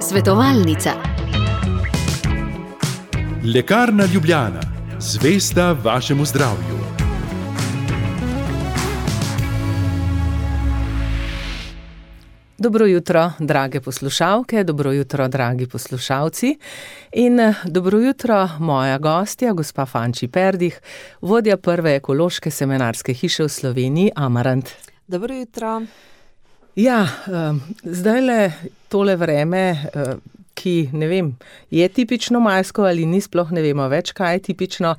Svetovalnica. Lekarna Ljubljana, zvesta vašemu zdravju. Dobro jutro, drage poslušalke, dobro jutro, dragi poslušalci in dobro jutro, moja gostja, gospa Fanči Perdih, vodja prve ekološke semenarske hiše v Sloveniji, Amarant. Dobro jutro. Ja, zdajle tole vreme, ki, ne vem, je tipično majsko ali ni, sploh ne vemo več, kaj je tipično.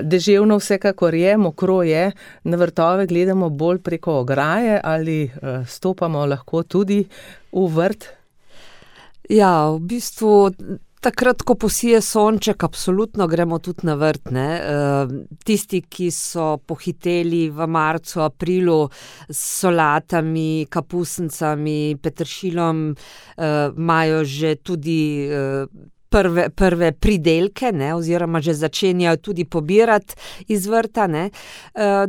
Deževno vsekakor je, mokro je, na vrtove gledamo bolj preko ograje ali stopamo lahko tudi v vrt? Ja, v bistvu takrat, ko posije sonček, absolutno gremo tudi na vrt, ne. Tisti, ki so pohiteli v marcu, aprilu s solatami, kapusnicami, peteršilom, imajo že tudi prve pridelke, ne, oziroma že začenjajo tudi pobirati iz vrta, ne.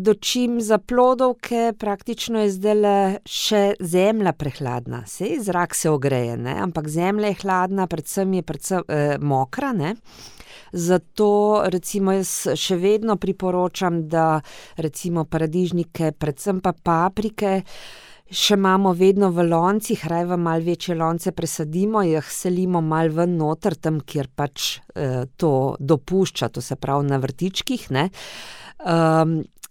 Dočim za plodovke praktično je zdajle še zemlja prehladna. Saj zrak se ogreje, ne, ampak zemlja je hladna, predvsem mokra, ne. Zato recimo jaz še vedno priporočam, da recimo paradižnike, predvsem pa paprike, še imamo vedno v loncih, raje v malo večje lonce presadimo, jih selimo malo ven noter, tam, kjer pač to dopušča, to se pravi na vrtičkih, ne.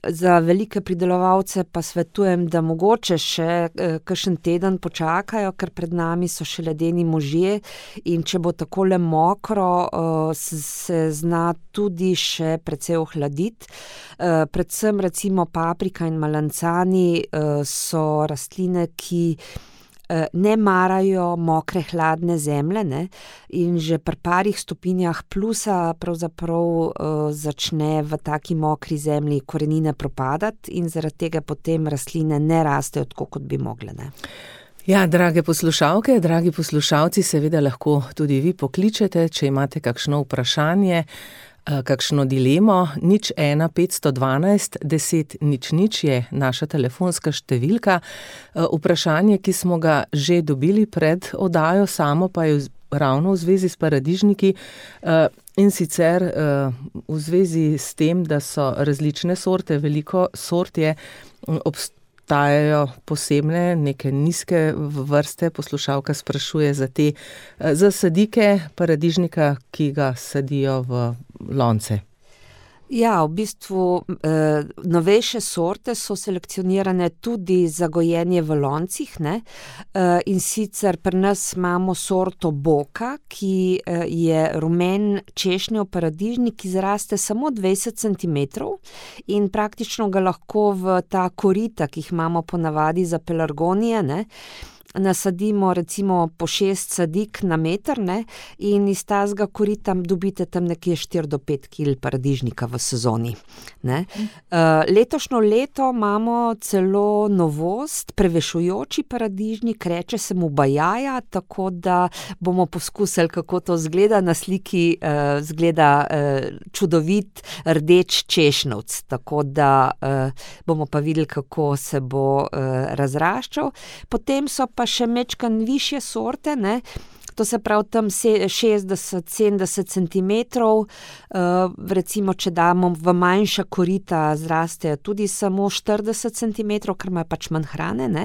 Za velike pridelovalce pa svetujem, da mogoče še kakšen teden počakajo, ker pred nami so še ledeni možje in če bo takole mokro, se zna tudi še precej ohladiti. Predvsem recimo paprika in malancani so rastline, ki ne marajo mokre, hladne zemlje, ne, in že pri parih stopinjah plusa pravzaprav začne v taki mokri zemlji korenine propadati in zaradi tega potem rastline ne rastejo tako, kot bi mogle, ne. Ja, drage poslušalke, dragi poslušalci, seveda lahko tudi vi pokličete, če imate kakšno vprašanje, kakšno dilemo. 01 512 10 00 je naša telefonska številka. Vprašanje, ki smo ga že dobili pred oddajo, samo pa je ravno v zvezi s paradižniki in sicer v zvezi s tem, da so različne sorte, veliko sort je, obstajajo posebne, neke nizke vrste, poslušalka sprašuje za sadike paradižnika, ki ga sadijo v lonce. Ja, v bistvu novejše sorte so selekcionirane tudi za gojenje v loncih, ne. In sicer pri nas imamo sorto Boka, ki je rumen češnjev paradižnik, ki zraste samo 20 centimetrov in praktično ga lahko v ta korita, ki jih imamo ponavadi za pelargonije, ne, nasadimo recimo po 6 sadik na meter, ne, in iz tazga korita dobite tam nekje 4 do 5 kil paradižnika v sezoni, ne. Letošnjo leto imamo celo novost, prevešujoči paradižnik, reče se mu bajaja, tako da bomo poskusili, kako to izgleda. Na sliki izgleda čudovit rdeč češnjevc, tako da bomo pa videli, kako se bo razraščal. Potem so pa še majčkeno višje sorte, ne, to se pravi tam 60-70 centimetrov, recimo, če damo v manjša korita, zrastejo tudi samo 40 centimetrov, ker imajo pač manj hrane, ne.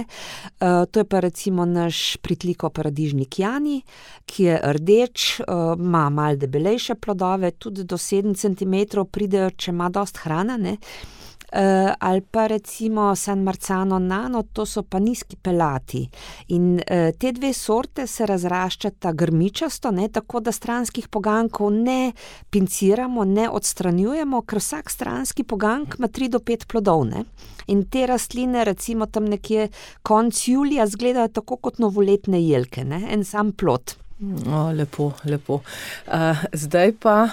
To je pa recimo naš pritliko paradižnik Jani, ki je rdeč, ima malo debelejše plodove, tudi do 7 centimetrov pridejo, če ima dosti hrane, ne. Ali pa recimo San Marzano Nano, to so pa nizki pelati. In te dve sorte se razraščata grmičasto, ne, tako da stranskih poganjkov ne pinciramo, ne odstranjujemo, ker vsak stranski poganjek ima 3 do 5 plodov, ne. In te rastline recimo tam nekje konec julija izgledajo tako kot novoletne jelke, ne, en sam plod. Lepo, lepo. Zdaj pa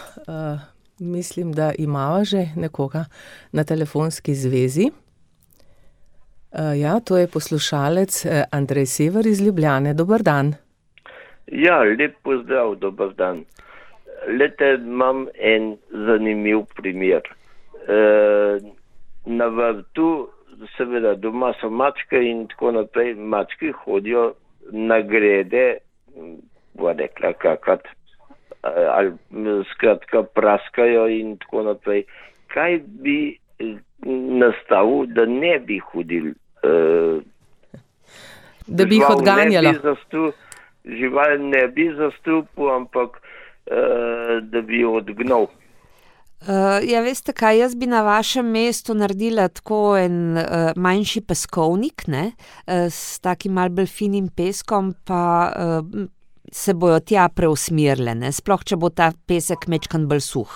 mislim, da imava že nekoga na telefonski zvezi. Ja, to je poslušalec Andrej Sever iz Ljubljane. Dober dan. Ja, lep pozdrav, dober dan. Glejte, imam en zanimiv primer. Na vrtu, seveda doma so mačke in tako naprej, mačke hodijo nagrede, bo rekla kakat, ali skratka praskajo in tako naprej. Kaj bi nastavil, da ne bi hodil? Da bi jih odganjalo. Žival ne bi zastrupil, ampak da bi jo odgnal. Ja, veste kaj, jaz bi na vašem mestu naredila tako en manjši peskovnik, ne, s takim malo bolj finim peskom, pa se bojo tja preusmerile, ne, sploh če bo ta pesek mečkan bolj suh,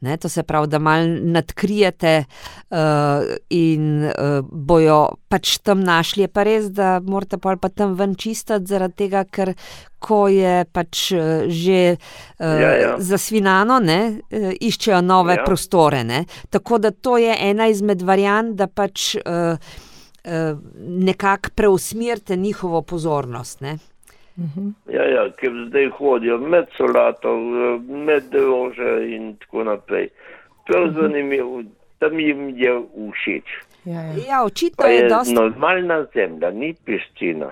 ne, to se pravi, da malo nadkrijete in bojo pač tam našli. Je pa res, da morate pa tam ven čistiti, zaradi tega, ker ko je pač že zasvinano, ne, iščejo nove prostore, ne, tako da to je ena izmed variant, da pač nekako preusmerite njihovo pozornost, ne. Ja, ker zdaj hodijo med solato, med rože in tako naprej. Prav zanimivo, tam jim je všeč. Ja, očitno pa je dosti... normalna zemlja, ni piščina.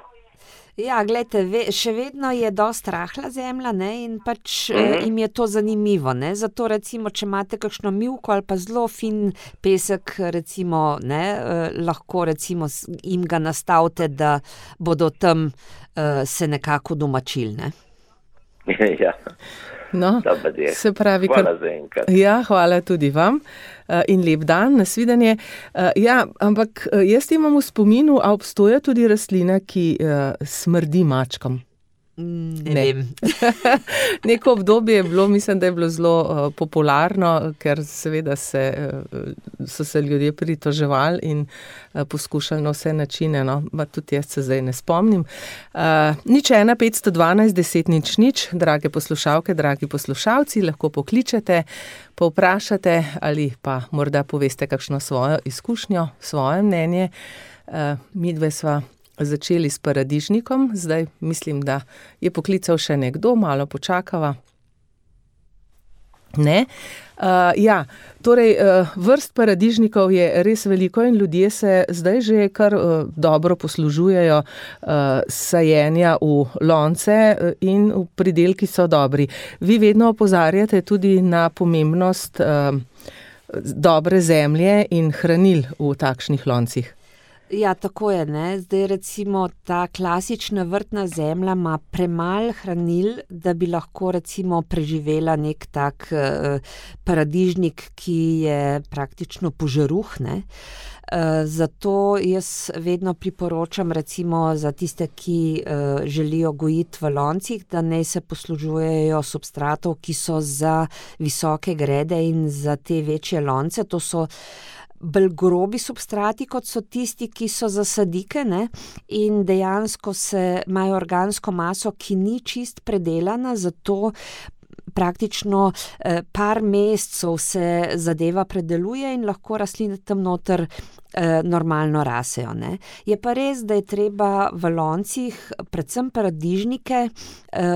Ja, glejte, še vedno je dosti rahla zemlja, ne, in pač jim je to zanimivo, ne, zato recimo, če imate kakšno mivko ali pa zelo fin pesek, recimo, ne, lahko recimo jim ga nastavite, da bodo tam se nekako domačili, ne. Ja. No, se pravi, hvala za enkrat. Ja, hvala tudi vam in lep dan, nasvidenje. Ja, ampak jaz imam v spominu, a obstoja tudi rastlina, ki smrdi mačkam? Ne vem. Neko obdobje je bilo, mislim, da je bilo zelo popularno, ker seveda so se ljudje pritoževali in poskušali na vse načine, no, pa tudi jaz se zdaj ne spomnim. 01 512 10 00, drage poslušalke, dragi poslušalci, lahko pokličete, povprašate ali pa morda poveste kakšno svojo izkušnjo, svoje mnenje. Midve sva začeli s paradižnikom, zdaj mislim, da je poklical še nekdo, malo počakava. Ne? Ja, torej vrst paradižnikov je res veliko in ljudje se zdaj že kar dobro poslužujejo sajenja v lonce in pridelki so dobri. Vi vedno opozarjate tudi na pomembnost dobre zemlje in hranil v takšnih loncih. Ja, tako je, ne. Zdaj recimo ta klasična vrtna zemlja ima premalo hranil, da bi lahko recimo preživela nek tak paradižnik, ki je praktično požaruh, ne. Zato jaz vedno priporočam recimo za tiste, ki želijo gojiti v loncih, da naj se poslužujejo substratov, ki so za visoke grede in za te večje lonce. To so bolj grobi substrati, kot so tisti, ki so za sadike, ne, in dejansko imajo organsko maso, ki ni čist predelana, zato praktično par mesecev se zadeva predeluje in lahko rastline tam noter normalno rasejo, ne. Je pa res, da je treba v loncih predvsem paradižnike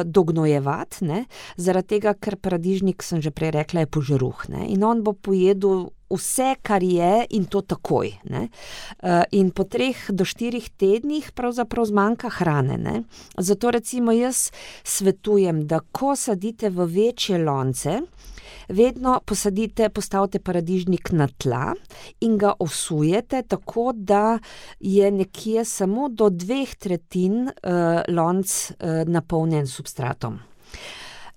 dognojevati, ne, zaradi tega, ker paradižnik, sem že prej rekla, je požaruh, ne, in on bo pojedel vse, kar je, in to takoj, ne. In po 3 do 4 tednih pravzaprav zmanjka hrane, ne. Zato recimo jaz svetujem, da ko sadite v večje lonce, vedno postavite paradižnik na tla in ga osujete tako, da je nekje samo do 2/3 lonc napolnjen substratom.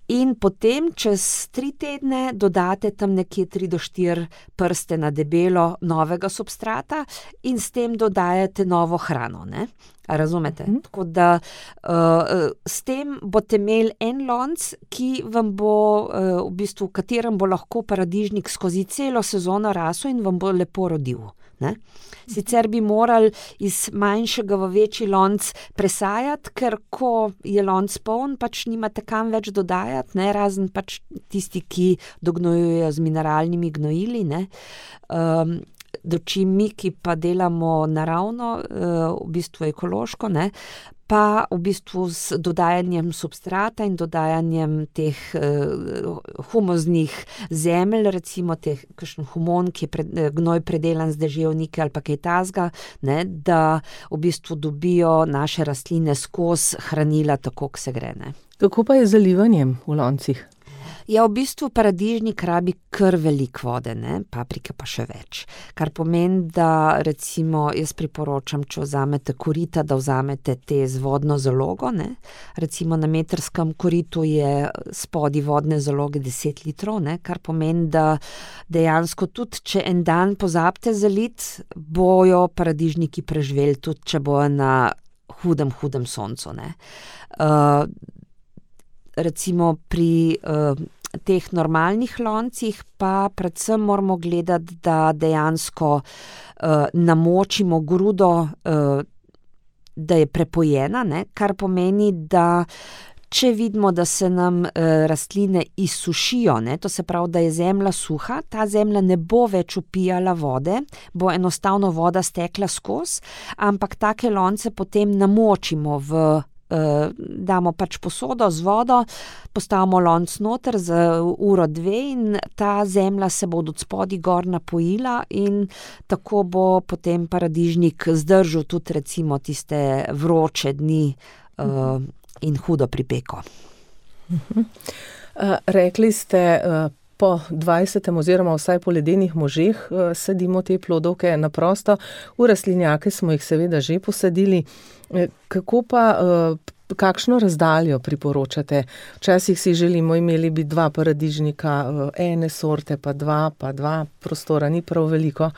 In potem čez 3 tedne dodate tam nekje 3 do 4 prste na debelo novega substrata in s tem dodajate novo hrano, ne. A razumete? Tako da s tem boste imeli en lonc, ki vam bo v bistvu, v katerem bo lahko paradižnik skozi celo sezono rasel in vam bo lepo rodil, ne. Sicer bi morali iz manjšega v večji lonc presajati, ker ko je lonc poln, pač nimate kam več dodajati, ne, razen pač tisti, ki dognojujejo z mineralnimi gnojili, ne. Dočim mi, ki pa delamo naravno, v bistvu ekološko, ne, pa v bistvu s dodajanjem substrata in dodajanjem teh humoznih zemelj, recimo kakšen humon, ki je gnoj predelan z deževnike ali pa kaj takega, ne, da v bistvu dobijo naše rastline skozi hranila tako, kot se gre. Ne. Kako pa je z zalivanjem v loncih? Ja, v bistvu paradižnik rabi kar veliko vode, ne? Paprike pa še več. Kar pomeni, da recimo jaz priporočam, če vzamete korita, da vzamete te z vodno zalogo, ne? Recimo na metrskem koritu je spodaj vodne zaloge 10 litrov, ne? Kar pomeni, da dejansko tudi, če en dan pozabite zaliti, bojo paradižniki preživeli, tudi če bojo na hudem soncu, ne? Recimo pri teh normalnih loncih pa predvsem moramo gledati, da dejansko namočimo grudo, da je prepojena, ne? Kar pomeni, da če vidimo, da se nam rastline izsušijo, ne? To se pravi, da je zemlja suha, ta zemlja ne bo več vpijala vode, bo enostavno voda stekla skozi, ampak take lonce potem namočimo damo pač posodo z vodo, postavimo lonc noter za 1-2 in ta zemlja se bo od spodaj gor napojila in tako bo potem paradižnik zdržal tudi recimo tiste vroče dni in hudo pripeko. Rekli ste, po 20. oziroma vsaj po ledenih možeh sadimo te plodovke na prosto. V rastlinjake smo jih seveda že posadili. Kako pa, kakšno razdaljo priporočate? Včasih si želimo, imeli bi 2 paradižnika, ene sorte, pa 2, prostora ni prav veliko.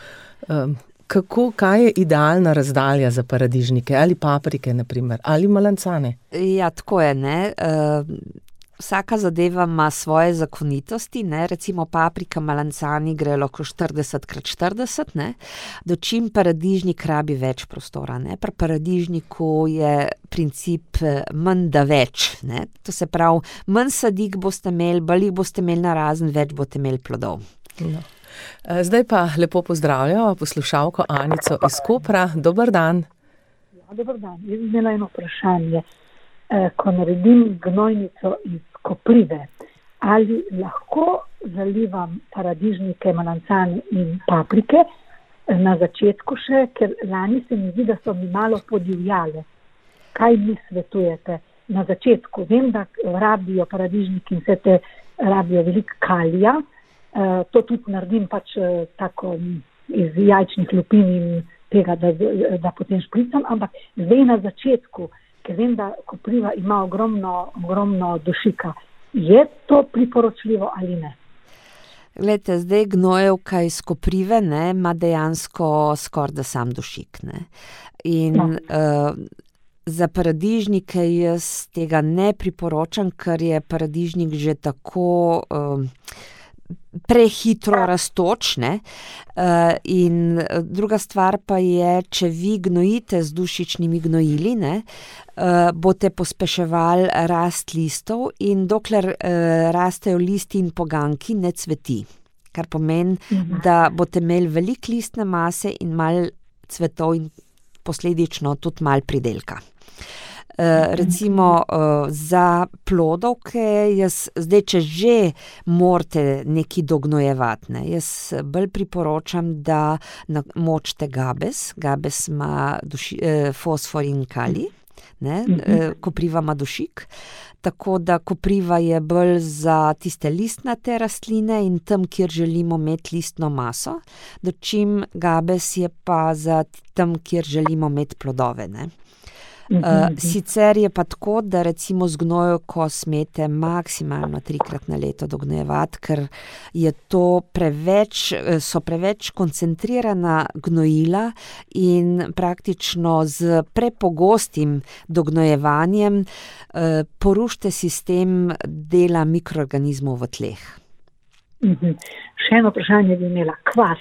Kaj je idealna razdalja za paradižnike? Ali paprike, na primer, ali malancane? Ja, tako je, ne. Vsaka zadeva ima svoje zakonitosti, ne, recimo paprika, malancani gre lahko 40x40, ne, dočim paradižnik rabi več prostora, ne, pri paradižniku je princip manj da več, ne, to se pravi, manj sadik boste imeli, bolj jih boste imeli narazen, več boste imeli plodov. No. Zdaj pa lepo pozdravljamo poslušalko Anico iz Kopra, dober dan. Ja, dober dan, jaz bi imela eno vprašanje. Ko naredim gnojnico iz koprive, ali lahko zalivam paradižnike, malancane in paprike na začetku še, ker lani se mi zdi, da so mi malo podivjale. Kaj mi svetujete na začetku? Vem, da rabijo paradižniki in vse te rabijo veliko kalija, to tudi naredim pač tako iz jajčnih lupin in tega, da potem špricam, ampak zdaj na začetku, ker vem, da kopriva ima ogromno dušika. Je to priporočljivo ali ne? Glejte, zdaj gnojevka iz koprive, ne, ima dejansko skoraj da sam dušik, ne. In za paradižnike jaz tega ne priporočam, ker je paradižnik že tako prehitro rastoč, ne. In druga stvar pa je, če vi gnojite z dušičnimi gnojili, ne, boste pospeševali rast listov in dokler rastejo listi in poganjki, ne cveti. Kar pomeni, da boste imeli veliko listne mase in malo cvetov in posledično tudi malo pridelka. Recimo za plodovke, zdaj, če že morate nekaj dognojevati, ne, jaz bolj priporočam, da namočite gabes. Gabes ima fosfor in kalij, ne, kopriva ima dušik. Tako da kopriva je bolj za tiste listnate rastline in tam, kjer želimo imeti listno maso, dočim gabes je pa za tam, kjer želimo imeti plodove, ne. Sicer je pa tako, da recimo z gnojevko smete maksimalno 3-krat na leto dognojevati, ker je to so preveč koncentrirana gnojila in praktično z prepogostim dognojevanjem porušite sistem dela mikroorganizmov v tleh. Še eno vprašanje bi imela. Kvas.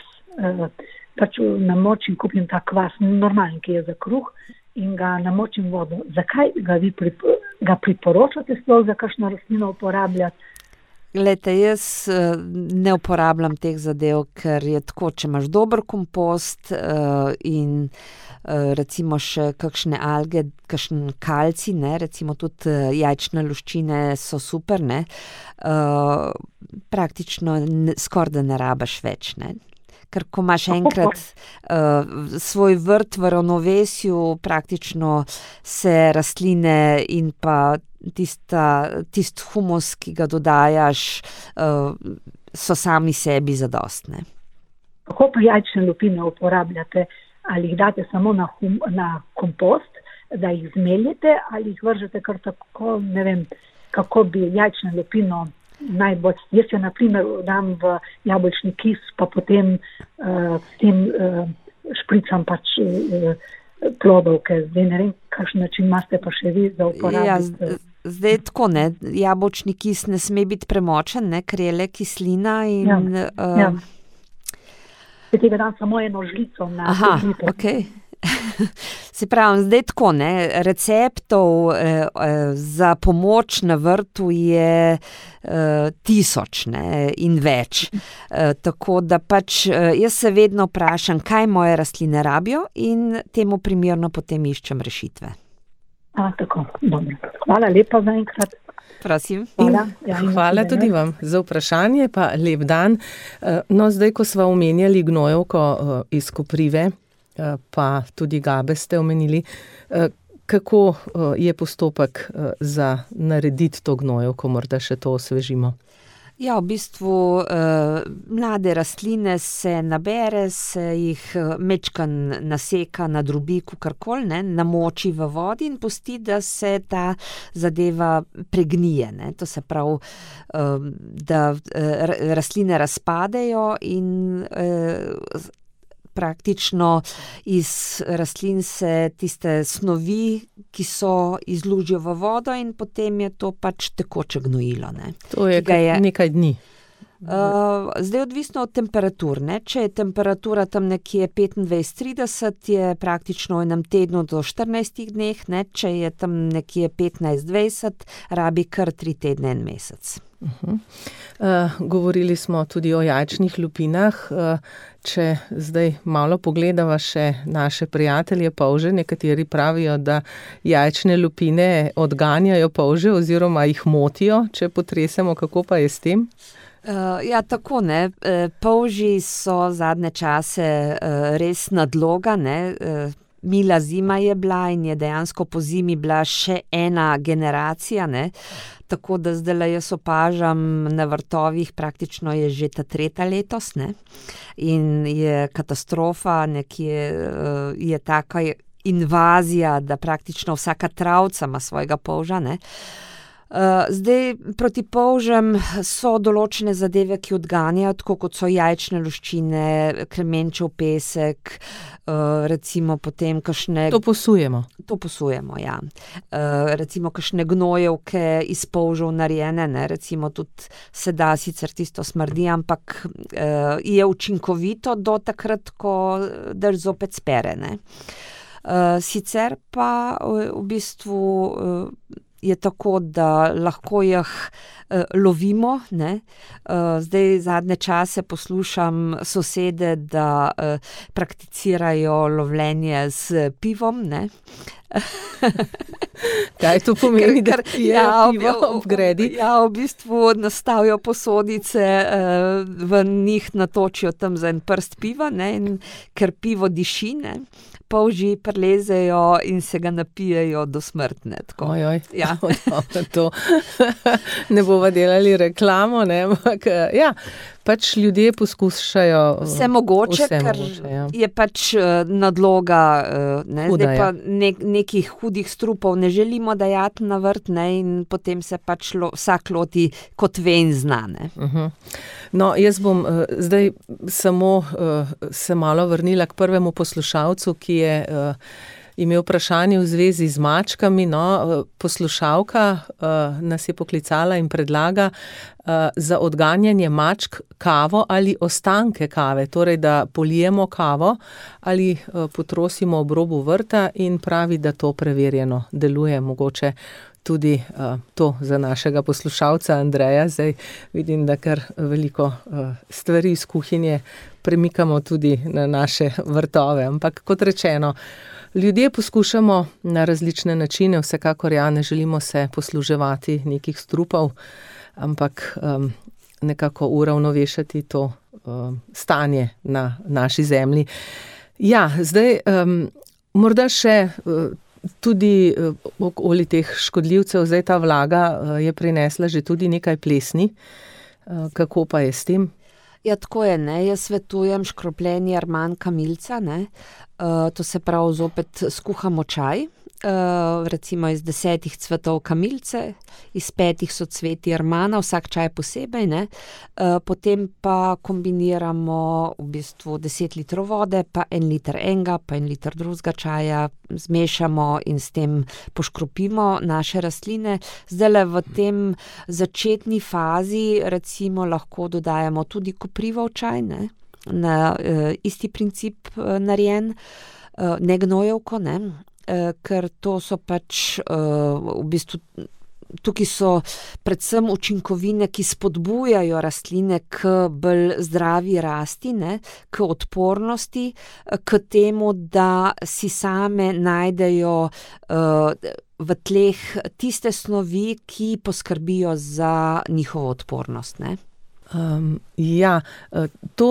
Pač namočim, kupim ta kvas, normalen, ki je za kruh, in ga namočim vodo. Zakaj ga vi ga priporočate sploh za kakšno rastlino uporabljati? Glejte, jaz ne uporabljam teh zadev, ker je tako, če imaš dober kompost in recimo še kakšne alge, kakšen kalcij, ne, recimo tudi jajčne luščine so super, ne, praktično skoraj da ne rabiš več, ne. Ker ko imaš enkrat svoj vrt v ravnovesju, praktično se rastline in pa tisti humus, ki ga dodajaš, so sami sebi zadostne. Kako pa jajčne lupine uporabljate? Ali jih date samo na kompost, da jih zmeljete, ali jih vržete kar tako, ne vem, kako bi jajčno lupino najbolj. Jaz jo na primer dam v jabolčni kis, pa potem s tem špricam pač plodovke. Zdaj ne vem, kakšen način imate pa še vi za uporabiti. Ja, zdaj tako, ne, jabolčni kis ne sme biti premočen, ne, ker je le kislina in... Ja. Tega dam samo eno žlico na žlico. Okay. Se pravi, zdaj tako, ne, receptov za pomoč na vrtu je 1000, ne, in več. Tako da pač jaz se vedno vprašam, kaj moje rastline rabijo in temu primerno potem iščem rešitve. Tako, dobro. Hvala lepa za enkrat. Prosim. Hvala tudi vam za vprašanje, pa lep dan. No, zdaj, ko sva omenjali gnojevko iz koprive, pa tudi gabe ste omenili, kako je postopek za narediti to gnojevko, morda še to osvežimo? Ja, v bistvu mlade rastline se nabere, se jih mečkan naseka na drobiku, karkoli, ne, namoči v vodi in pusti, da se ta zadeva pregnije, ne. To se pravi, da rastline razpadejo in praktično iz rastlin se tiste snovi, ki so, izlužijo v vodo in potem je to pač tekoče gnojilo, ne. To je nekaj dni. Zdaj odvisno od temperatur, ne. Če je temperatura tam nekje 25-30, je praktično v enem tednu do 14 dneh, ne. Če je tam nekje 15-20, rabi kar 3 tedne, 1 mesec. Govorili smo tudi o jajčnih lupinah. Če zdaj malo pogledava še naše prijatelje polže, nekateri pravijo, da jajčne lupine odganjajo polže oziroma jih motijo, če potresemo, kako pa je s tem? Ja, tako, ne. Polži so zadnje čase res nadloga, ne. Mila zima je bila in je dejansko po zimi bila še ena generacija, ne. Tako da zdaj jaz opažam na vrtovih, praktično je že ta 3. letos, ne. In je katastrofa, nekje je taka invazija, da praktično vsaka travca ima svojega polža, ne. Zdaj, proti polžem so določene zadeve, ki odganjajo, tako kot so jajčne luščine, kremenčev pesek, recimo potem kakšne... To posujemo. To posujemo, ja. Recimo kakšne gnojevke iz polžev narejene, ne, recimo tudi se da sicer tisto smrdi, ampak je učinkovito do takrat, ko daš zopet spere, ne. Sicer pa v bistvu... je tako, da lahko jih lovimo, ne. Zdaj zadnje čase poslušam sosede, da prakticirajo lovljenje s pivom, ne. Kaj to pomeni, da pijejo pivo ob gredi? Ja, v bistvu nastavijo posodice, v njih natočijo tam za en prst piva, ne, in ker pivo diši, ne, polži prilezejo in se ga napijejo do smrtne. Ojoj, ja. To ne bova delali reklamo, ne, ampak ja, pač ljudje poskušajo vse mogoče, ker je pač nadloga, ne, zdaj pa nekih hudih strupov ne želimo dajati na vrt, ne, in potem se pač vsak loti kot ve in zna, ne. No, jaz bom zdaj samo se malo vrnila k prvemu poslušalcu, ki je imel vprašanje v zvezi z mačkami. No, poslušalka nas je poklicala in predlaga za odganjanje mačk kavo ali ostanke kave, torej da polijemo kavo ali potrosimo ob robu vrta in pravi, da to preverjeno deluje. Mogoče tudi to za našega poslušalca Andreja. Zdaj vidim, da kar veliko stvari iz kuhinje premikamo tudi na naše vrtove. Ampak kot rečeno, ljudje poskušamo na različne načine, vsekakor ne želimo se posluževati nekih strupov, ampak nekako uravnovešati to stanje na naši zemlji. Ja, zdaj morda še tudi okoli teh škodljivcev, zdaj ta vlaga je prinesla že tudi nekaj plesni. Kako pa je s tem? Ja, tako je, ne. Jaz svetujem škropljenje rman kamilca, ne. To se pravi, zopet skuhamo čaj, recimo iz 10 cvetov kamilce, iz 5 socvetij rmana, vsak čaj posebej, ne. Potem pa kombiniramo v bistvu 10 litrov vode, pa 1 liter enega, pa 1 liter drugega čaja, zmešamo in s tem poškropimo naše rastline. Zdajle v tem začetni fazi recimo lahko dodajamo tudi koprivo v čaj, ne. Na isti princip narejen, ne gnojevko, ne. Ker to so pač v bistvu, tukaj so predvsem učinkovine, ki spodbujajo rastline k bolj zdravi rasti, ne, k odpornosti, k temu, da si same najdejo v tleh tiste snovi, ki poskrbijo za njihovo odpornost, ne. To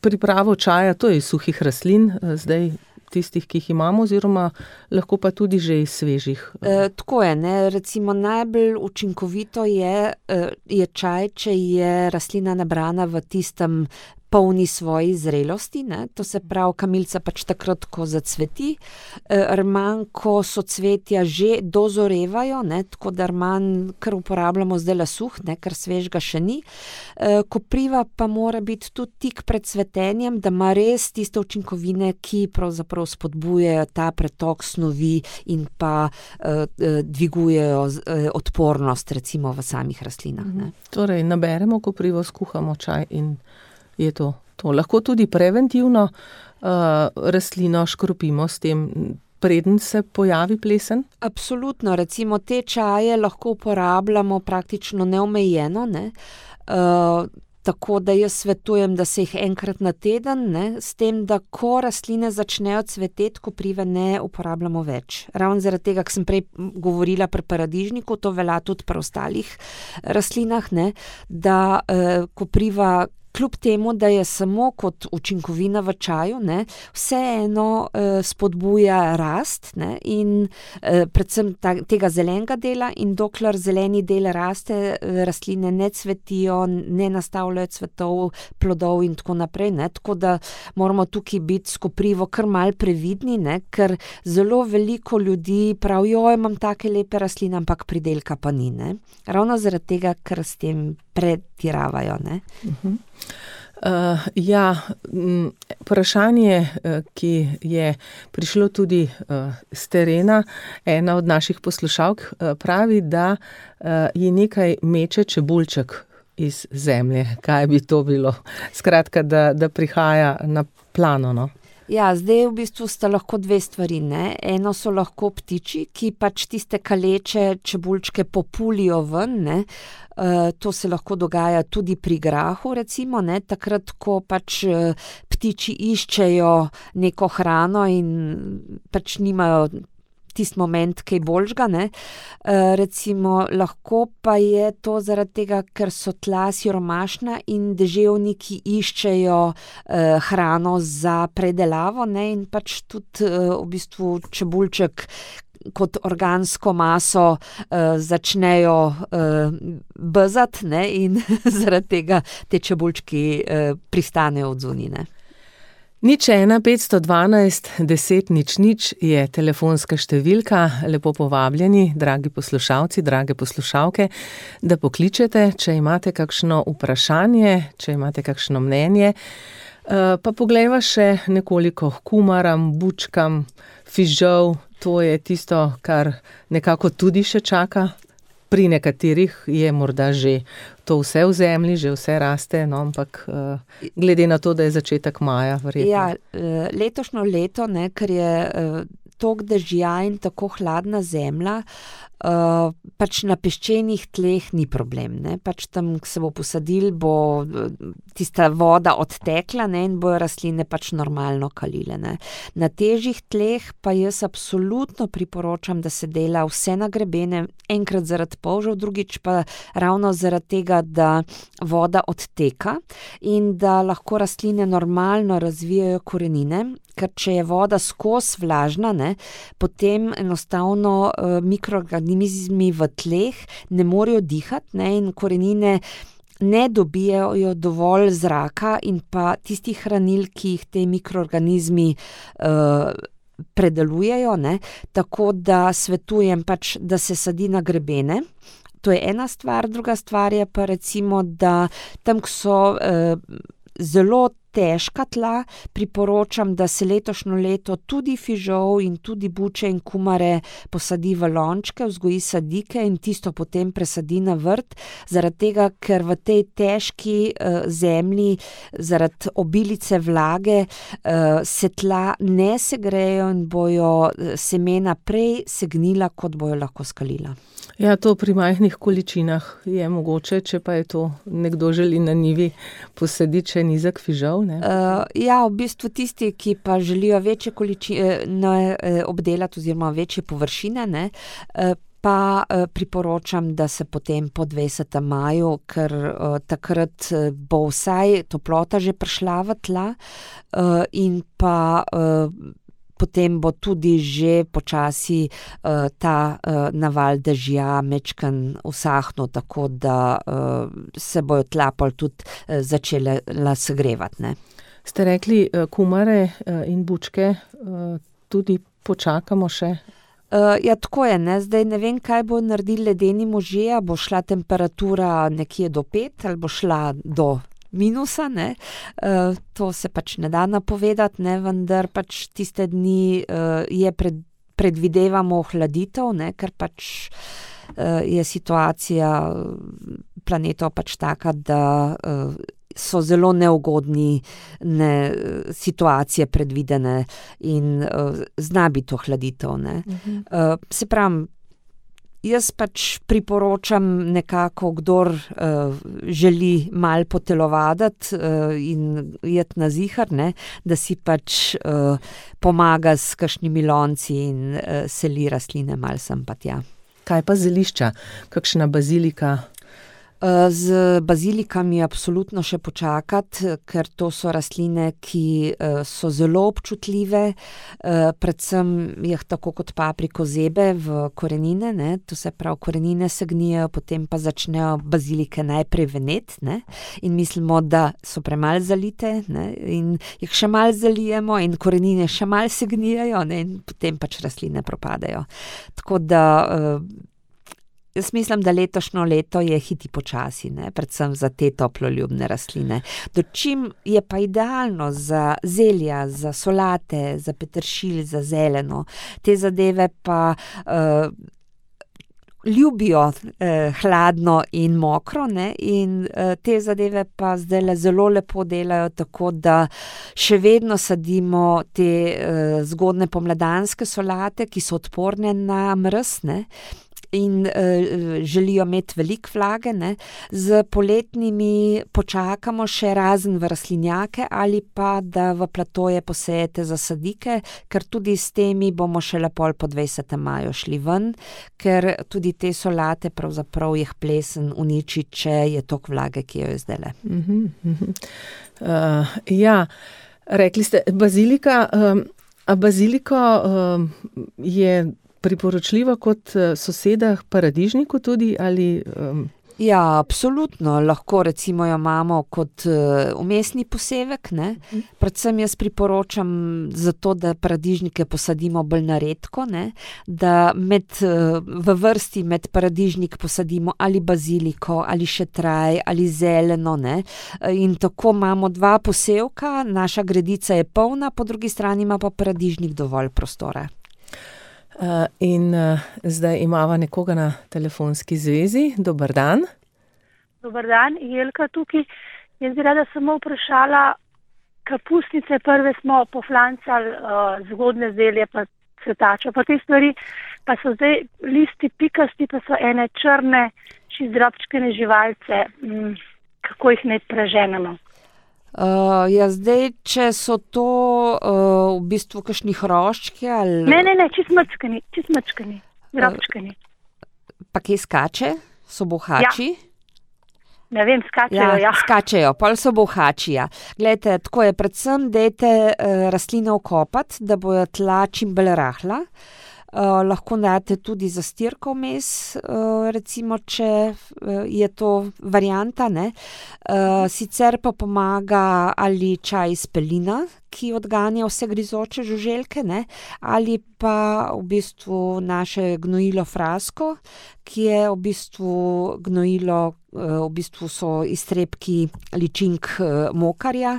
pripravo čaja, to je iz suhih rastlin, zdaj tistih, ki jih imamo, oziroma lahko pa tudi že iz svežih. Tako je, ne, recimo najbolj učinkovito je čaj, če je rastlina nabrana v tistem polni svoji zrelosti, ne, to se pravi, kamilca pač takrat, ko zacveti, rman, ko socvetja že dozorevajo, ne, tako da rman kar uporabljamo zdajle suh, ne, ker svežga še ni. Kopriva pa mora biti tudi tik pred cvetenjem, da ima res tiste učinkovine, ki pravzaprav spodbujajo ta pretok snovi in pa dvigujejo odpornost recimo v samih rastlinah, ne. Torej, naberemo koprivo, skuhamo čaj in je to. Lahko tudi preventivno rastlino škropimo s tem, preden se pojavi plesen? Absolutno, recimo te čaje lahko uporabljamo praktično neomejeno, ne. Tako da jaz svetujem, da se jih enkrat na teden, ne, s tem, da ko rastline začnejo cveteti, koprive ne uporabljamo več. Ravno zaradi tega, ko sem prej govorila pri paradižniku, to velja tudi pri ostalih rastlinah, ne, da kopriva kljub temu, da je samo kot učinkovina v čaju, ne, vseeno spodbuja rast, ne, in predvsem tega zelenega dela, in dokler zeleni del raste, rastline ne cvetijo, ne nastavljajo cvetov, plodov in tako naprej, ne, tako da moramo tukaj biti s koprivo kar malo previdni, ne, ker zelo veliko ljudi pravi, imam take lepe rastline, ampak pridelka pa ni, ne. Ravno zaradi tega, ker s tem pretiravajo, ne. Vprašanje, ki je prišlo tudi z terena, ena od naših poslušalk pravi, da je nekaj meče čebulček iz zemlje. Kaj bi to bilo? Skratka, da prihaja na plano, no? Ja, zdaj v bistvu sta lahko dve stvari, ne. Eno so lahko ptiči, ki pač tiste kaleče čebulčke populijo ven, ne. To se lahko dogaja tudi pri grahu, recimo, ne, takrat, ko pač ptiči iščejo neko hrano in pač nimajo tisti moment kaj boljšega, ne. Recimo, lahko pa je to zaradi tega, ker so tla siromašna in deževniki iščejo hrano za predelavo, ne, in pač tudi v bistvu čebulček kot organsko maso začnejo bezati, ne, in zaradi tega te čebulčki pristanejo odzunaj, ne. 01 512 10 00 je telefonska številka. Lepo povabljeni, dragi poslušalci, drage poslušalke, da pokličete, če imate kakšno vprašanje, če imate kakšno mnenje. Pa poglejva še nekoliko h kumaram, bučkam, fižol. To je tisto, kar nekako tudi še čaka. Pri nekaterih je morda že to vse v zemlji, že vse raste, no, ampak glede na to, da je začetek maja, verjetno. Ja, letošnjo leto, ne, ker je toliko dežja in tako hladna zemlja, pač na peščenih tleh ni problem, ne, pač tam, ko se bo posadil, bo tista voda odtekla, ne, in bojo rastline pač normalno kalile, ne. Na težjih tleh pa jaz absolutno priporočam, da se dela vse na grebene, enkrat zaradi polžev, drugič pa ravno zaradi tega, da voda odteka in da lahko rastline normalno razvijajo korenine, ker če je voda skozi vlažna, ne, potem enostavno mikroorganizmi v tleh ne morejo dihati, ne, in korenine ne dobijajo dovolj zraka in pa tistih hranil, ki jih te mikroorganizmi predelujejo, ne, tako da svetujem pač, da se sadi na grebene. To je ena stvar, druga stvar je pa recimo, da tam, ko so zelo težka tla, priporočam, da se letošnjo leto tudi fižol in tudi buče in kumare posadi v lončke, vzgoji sadike in tisto potem presadi na vrt, zaradi tega, ker v tej težki zemlji, zaradi obilice vlage, se tla ne segrejo in bojo semena prej segnila, kot bojo lahko skalila. Ja, to pri majhnih količinah je mogoče, če pa je to nekdo želi na njivi posaditi še nizek fižol, ne? Ja, v bistvu tisti, ki pa želijo večje količine obdelati oziroma večje površine, ne, pa priporočam, da se potem po 20. maju, ker takrat bo vsaj toplota že prišla v tla in pa potem bo tudi že počasi ta naval dežja mečkan usahnil, tako da se bojo tla pol tudi začela segrevati, ne. Ste rekli, kumare in bučke tudi počakamo še? Ja, tako je, ne, zdaj ne vem, kaj bo naredil ledeni možje, a bo šla temperatura nekje do 5 ali bo šla do minusa, ne, to se pač ne da napovedati, ne, vendar pač tiste dni predvidevamo ohladitev, ne, ker pač je situacija planetov pač taka, da so zelo neugodni situacije predvidene in zna biti ohladitev, ne. Se pravim, jaz pač priporočam nekako, kdor želi malo potelovaditi in iti na zihar, ne, da si pač pomaga s kakšnimi lonci in seli rastline malo sem pa tja. Kaj pa zelišča? Kakšna bazilika? Z bazilikami absolutno še počakati, ker to so rastline, ki so zelo občutljive, predvsem jih tako kot papriko zebe v korenine, ne, to se pravi, korenine se gnijejo, potem pa začnejo bazilike najprej veneti, ne, in mislimo, da so premalo zalite, ne, in jih še malo zalijemo in korenine še malo se gnijejo, ne, in potem pač rastline propadejo. Tako da jaz mislim, da letošnjo leto je hiti počasi, ne, predvsem za te toploljubne rastline. Dočim je pa idealno za zelja, za solate, za peteršilj, za zeleno. Te zadeve pa ljubijo hladno in mokro, ne, in te zadeve pa zdajle zelo lepo delajo, tako da še vedno sadimo te zgodne pomladanske solate, ki so odporne na mraz, ne, in želijo imeti veliko vlage, ne. Z poletnimi počakamo še razen v rastlinjake ali pa da v platoje posejete za sadike, ker tudi s temi bomo šele pol po 20. maju šli ven, ker tudi te solate pravzaprav jih plesen uniči, če je toliko vlage, ki jo je zdajle. Ja, rekli ste bazilika, a baziliko je priporočljiva kot soseda paradižniku tudi ali? Ja, absolutno. Lahko recimo jo imamo kot vmesni posevek, ne. Predvsem jaz priporočam zato, da paradižnike posadimo bolj na redko, ne, da v vrsti med paradižnik posadimo ali baziliko, ali šetraj, ali zeleno, ne. In tako imamo 2 posevka, naša gredica je polna, po drugi strani ima pa paradižnik dovolj prostora. In zdaj imava nekoga na telefonski zvezi. Dober dan. Dober dan, Jelka tukaj. Jaz bi rada samo vprašala, kapusnice prve smo poflancali, zgodne zelje, pa cvetačo, pa te stvari, pa so zdaj listi pikasti, pa so ene črne, drobčkene živalce, kako jih naj preženemo? Zdaj, če so to v bistvu kakšni hroščki ali... Ne, čist mrčkani, drobčkani. Pa kje skače? So bohači? Ja. Ne vem, skačejo, ja. Skačejo, pol so bohači, ja. Glejte, tako je, predvsem dajte rastline okopati, da bojo tla čim bolj rahla. Lahko date tudi zastirko vmes, recimo, če je to varianta, ne. Sicer pa pomaga ali čaj iz pelina, ki odganja vse grizoče žuželke, ne, ali pa v bistvu naše gnojilo Frasko, ki je v bistvu gnojilo, v bistvu so iztrebki ličink mokarja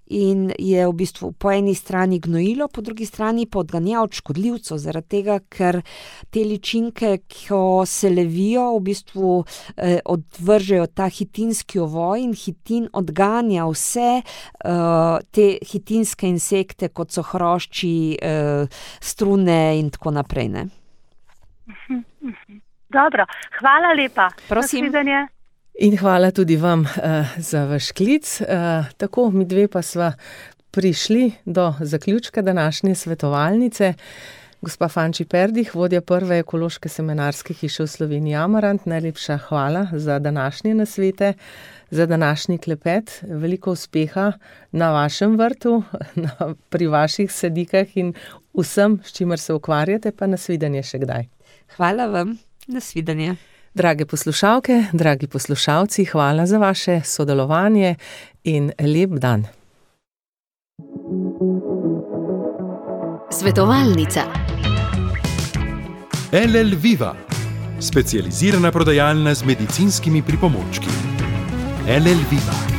in je v bistvu po eni strani gnojilo, po drugi strani pa odganja od škodljivcev, zaradi tega, ker te ličinke, ko se levijo, v bistvu odvržejo ta hitinski ovoj in hitin odganja vse te hitinske insekte, kot so hrošči, strune in tako naprej, ne. Dobro, hvala lepa. Prosim. Nasvidenje. In hvala tudi vam za vaš klic. Tako, mi dve pa sva prišli do zaključka današnje svetovalnice. Gospa Fanči Perdih, vodja prve ekološke semenarske hiše v Sloveniji Amarant, najlepša hvala za današnje nasvete, za današnji klepet. Veliko uspeha na vašem vrtu, pri vaših sadikah in vsem, s čimer se ukvarjate, pa nasvidenje še kdaj. Hvala vam, nasvidenje. Drage poslušalke, dragi poslušalci, hvala za vaše sodelovanje in lep dan. Svetovalnica. LL Viva, specializirana prodajalna z medicinskimi pripomočki. LL Viva.